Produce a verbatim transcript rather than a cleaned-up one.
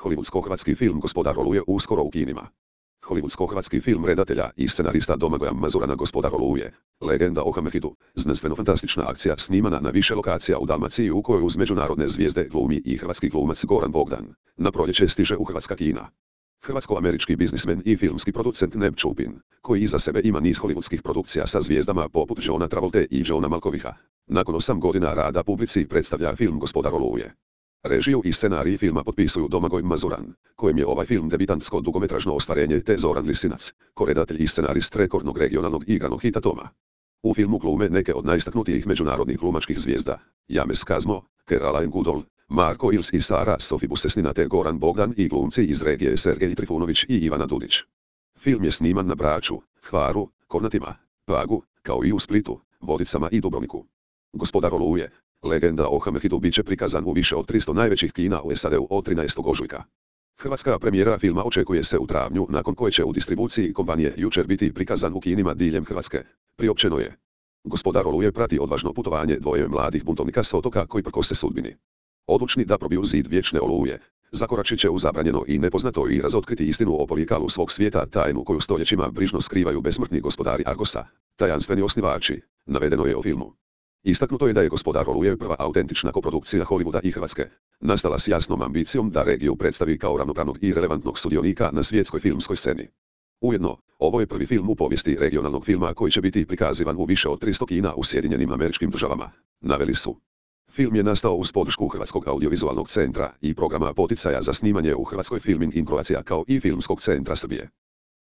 Hollywoodsko-hrvatski film Gospodar Oluje uskoro u kinima. Hollywoodsko-hrvatski film redatelja i scenarista Domagoja Mazurana Gospodar Oluje, legenda o Hammerhitu, znanstveno-fantastična akcija snimana na više lokacija u Dalmaciji u kojoj uz međunarodne zvijezde glumi i hrvatski glumac Goran Bogdan. Na proljeće stiže u hrvatska kina. Hrvatsko-američki biznismen i filmski producent Neb Čupin, koji iza sebe ima niz hollywoodskih produkcija sa zvijezdama poput Johna Travolte i Johna Malkoviha, nakon osam godina rada publici predstavlja film Gospodar Oluje. Režiju i scenarij filma potpisuju Domagoj Mazuran, kojem je ovaj film debitantsko dugometražno ostvarenje, te Zoran Lisinac, koredatelj i scenarist rekordnog regionalnog igranog hita Toma. U filmu glume neke od najistaknutijih međunarodnih glumačkih zvijezda: James Kazmo, Caroline Goodall, Marko Ils i Sara Sofi Busesnina te Goran Bogdan i glumci iz regije Sergej Trifunović i Ivana Dudić. Film je sniman na Braču, Hvaru, Kornatima, Pagu, kao i u Splitu, Vodicama i Dubrovniku. Gospodar Oluje, legenda o Hammerhitu, bit će prikazan u više od tristo najvećih kina u S A D-u od trinaestog ožujka. Hrvatska premijera filma očekuje se u travnju, nakon koje će u distribuciji kompanije jučer biti prikazan u kinima diljem Hrvatske. Priopćeno je. Gospodar Oluje prati odvažno putovanje dvoje mladih buntovnika s otoka koji prkose sudbini. Odlučni da probiju zid vječne Oluje, zakoračit će u zabranjeno i nepoznato i razotkriti istinu o porijeklu svog svijeta, tajnu koju stoljećima brižno skrivaju besmrtni gospodari Argosa, tajanstveni osnivači, navedeno je o filmu. Istaknuto je da je Gospodar Oluje prva autentična koprodukcija Hollywooda i Hrvatske, nastala s jasnom ambicijom da regiju predstavi kao ravnopravnog i relevantnog sudionika na svjetskoj filmskoj sceni. Ujedno, ovo je prvi film u povijesti regionalnog filma koji će biti prikazivan u više od tristo kina u Sjedinjenim Američkim Državama, naveli su. Film je nastao uz podršku Hrvatskog audiovizualnog centra i programa poticaja za snimanje u Hrvatskoj Filming in Croatia, kao i Filmskog centra Srbije.